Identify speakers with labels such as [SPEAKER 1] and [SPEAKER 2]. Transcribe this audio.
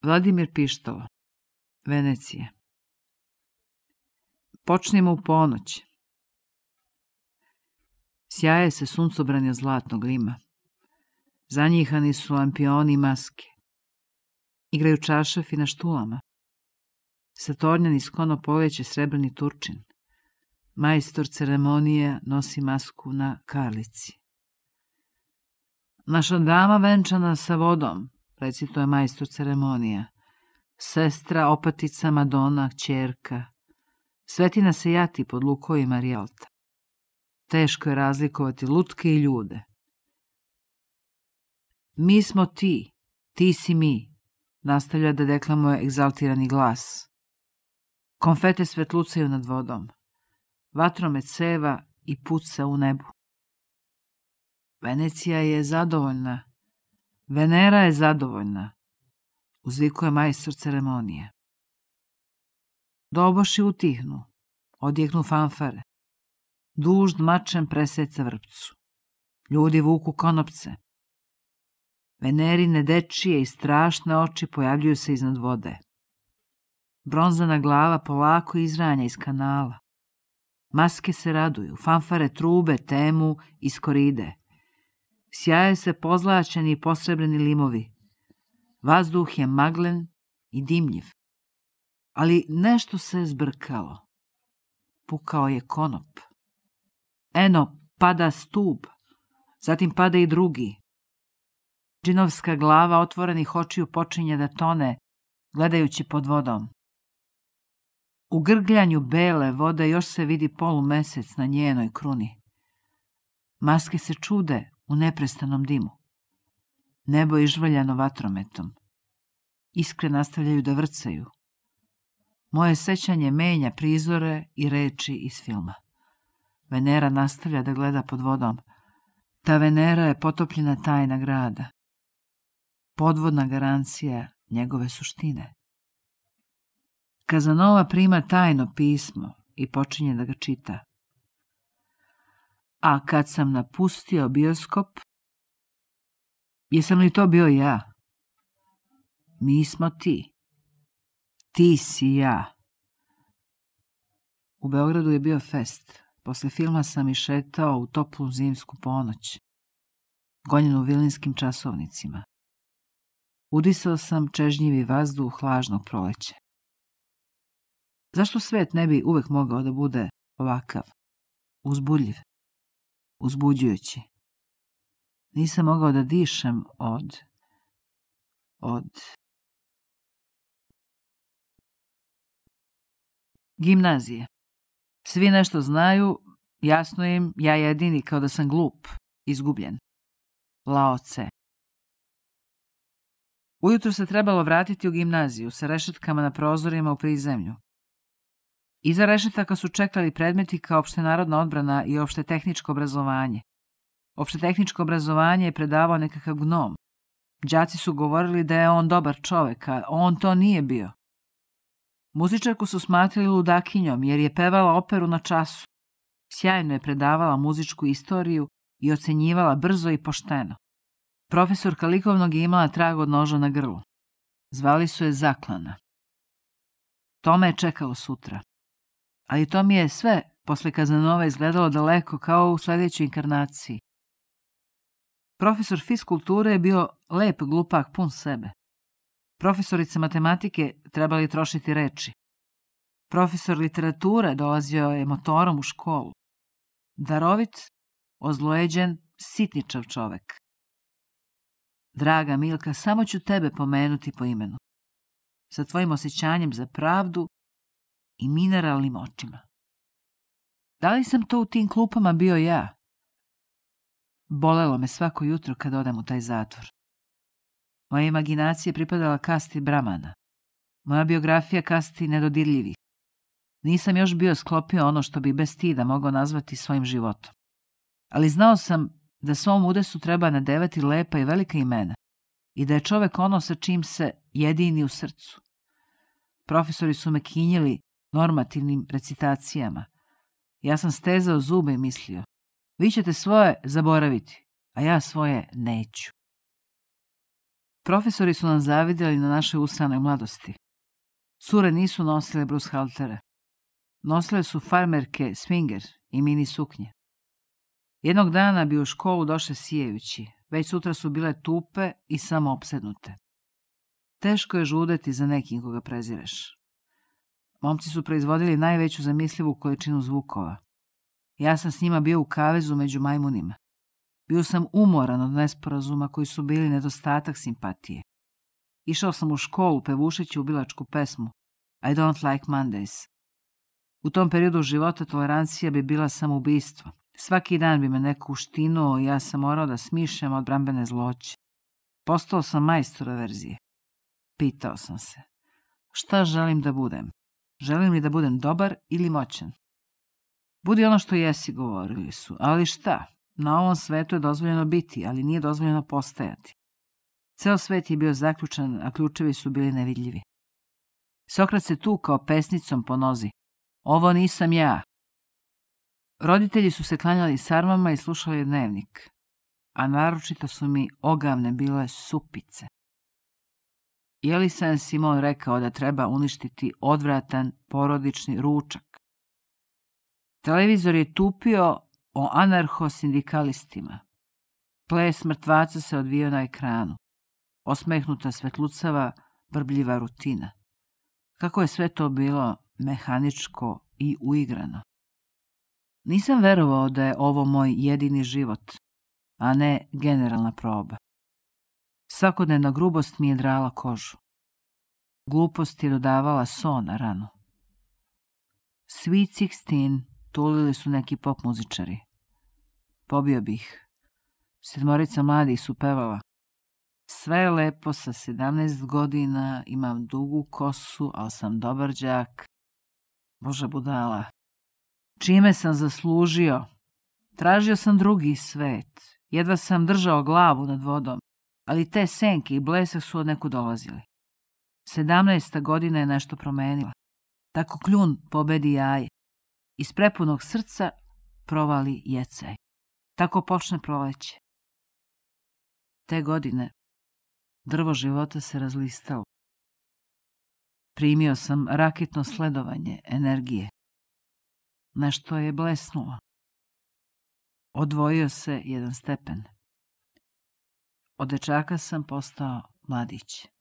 [SPEAKER 1] Vladimir Pištalo, Venecija. Počnimo u ponoć. Sjaje se suncobranje zlatnog lima. Zanjihani su lampioni i maske. Igraju čaršafi na štulama. Satornjani skono poleće srebrni Turčin. Majstor ceremonije nosi masku na karlici. Naša dama venčana sa vodom, recituje majstor ceremonija. Sestra, opatica, Madona, kćerka. Svetina se jati pod lukovima Rijalta. Teško je razlikovati lutke i ljude. Mi smo ti, ti si mi, nastavlja da deklamuje egzaltirani glas. Konfete svetlucaju nad vodom. Vatromet seva i puca u nebu. Venecija je zadovoljna. Venera je zadovoljna, uzvikuje majstor ceremonije. Doboši utihnu, odjeknu fanfare. Dužd mačem preseca vrpcu. Ljudi vuku konopce. Venerine dečije i strašne oči pojavljuju se iznad vode. Bronzana glava polako izranja iz kanala. Maske se raduju, fanfare trube, temu iz koride. Sjaje se pozlaćeni i posrebreni limovi. Vazduh je maglen i dimljiv. Ali nešto se zbrkalo. Pukao je konop. Eno, pada stub. Zatim pada i drugi. Džinovska glava otvorenih očiju počinje da tone, gledajući pod vodom. U grgljanju bele vode još se vidi polumesec na njenoj kruni. Maske se čude u neprestanom dimu. Nebo je ižvaljano vatrometom. Iskre nastavljaju da vrcaju. Moje sećanje menja prizore i reči iz filma. Venera nastavlja da gleda pod vodom. Ta Venera je potopljena tajna grada. Podvodna garancija njegove suštine. Kazanova prima tajno pismo i počinje da ga čita. A kad sam napustio bioskop, jesam li to bio ja? Mi smo ti. Ti si ja. U Beogradu je bio fest. Posle filma sam išetao u toplu zimsku ponoć, gonjen u vilinskim časovnicima. Udisao sam čežnjivi vazduh lažnog proleća. Zašto svet ne bi uvek mogao da bude ovakav, uzbudljiv, uzbuđujući? Nisam mogao da dišem od... Gimnazije. Svi nešto znaju, jasno im, ja jedini kao da sam glup, izgubljen. Lao Tse. Ujutro se trebalo vratiti u gimnaziju sa rešetkama na prozorima u prizemlju. Iza rešetaka su čekali predmeti kao opštenarodna odbrana i opšte tehničko obrazovanje. Opšte tehničko obrazovanje je predavao nekakav gnom. Đaci su govorili da je on dobar čovek, a on to nije bio. Muzičarku su smatrali ludakinjom jer je pevala operu na času. Sjajno je predavala muzičku istoriju i ocenjivala brzo i pošteno. Profesorka likovnog je imala trag od noža na grlu. Zvali su je Zaklana. To me je čekalo sutra. Ali to mi je sve posle Kazanova izgledalo daleko kao u sledećoj inkarnaciji. Profesor fiskulture je bio lep glupak pun sebe. Profesorice matematike trebali trošiti reči. Profesor literature dolazio je motorom u školu. Darovit, ozlojeđen, sitničav čovek. Draga Milka, samo ću tebe pomenuti po imenu. Sa tvojim osjećanjem za pravdu i mineralnim očima. Da li sam to u tim klupama bio ja? Bolelo me svako jutro kad odem u taj zatvor. Moja imaginacija pripadala kasti Bramana. Moja biografija kasti nedodirljivih. Nisam još bio sklopio ono što bi bez stida mogao nazvati svojim životom. Ali znao sam da svom udesu treba nadevati lepa i velika imena i da je čovek ono sa čim se jedini u srcu. Profesori su me kinjili normativnim recitacijama. Ja sam stezao zube i mislio, vi ćete svoje zaboraviti, a ja svoje neću. Profesori su nam zavidjeli na našoj usranoj mladosti. Cure nisu nosile brushaltere. Nosile su farmerke swinger i mini suknje. Jednog dana bi u školu došle sijejući, već sutra su bile tupe i samo opsednute. Teško je žudeti za nekim koga prezireš. Momci su proizvodili najveću zamislivu količinu zvukova. Ja sam s njima bio u kavezu među majmunima. Bio sam umoran od nesporazuma koji su bili nedostatak simpatije. Išao sam u školu pevušeći ubilačku pesmu I don't like Mondays. U tom periodu života tolerancija bi bila samoubistvo. Svaki dan bi me neko uštinuo i ja sam morao da smišljam odbrambene zloće. Postao sam majstor averzije. Pitao sam se, šta želim da budem? Želim li da budem dobar ili moćan? Budi ono što jesi, govorili su, ali šta? Na ovom svetu je dozvoljeno biti, ali nije dozvoljeno postajati. Ceo svet je bio zaključan, a ključevi su bili nevidljivi. Sokrat se tukao pesnicom po nozi. Ovo nisam ja. Roditelji su se klanjali sarmama i slušali dnevnik, a naročito su mi ogavne bile supice. Je li Saint-Simon rekao da treba uništiti odvratan porodični ručak? Televizor je tupio o anarcho-sindikalistima. Ples mrtvaca se odvijao na ekranu. Osmehnuta svetlucava, brbljiva rutina. Kako je sve to bilo mehaničko i uigrano. Nisam verovao da je ovo moj jedini život, a ne generalna proba. Svakodnevna grubost mi je drala kožu. Glupost je dodavala so na ranu. Sweet 16 tulili su neki pop muzičari. Pobio bih. 7 mladih su pevala. Sve je lepo, sa 17 godina, imam dugu kosu, ali sam dobar đak. Bože budala. Čime sam zaslužio? Tražio sam drugi svet. Jedva sam držao glavu nad vodom, ali te senke i blesak su od neku dolazili. 17. godina je nešto promenila. Tako kljun pobedi jaje. Iz prepunog srca provali jecaj. Tako počne proleće. Te godine drvo života se razlistalo. Primio sam raketno sledovanje energije. Nešto je blesnulo. Odvojio se jedan stepen. Od dečaka sam postao mladić.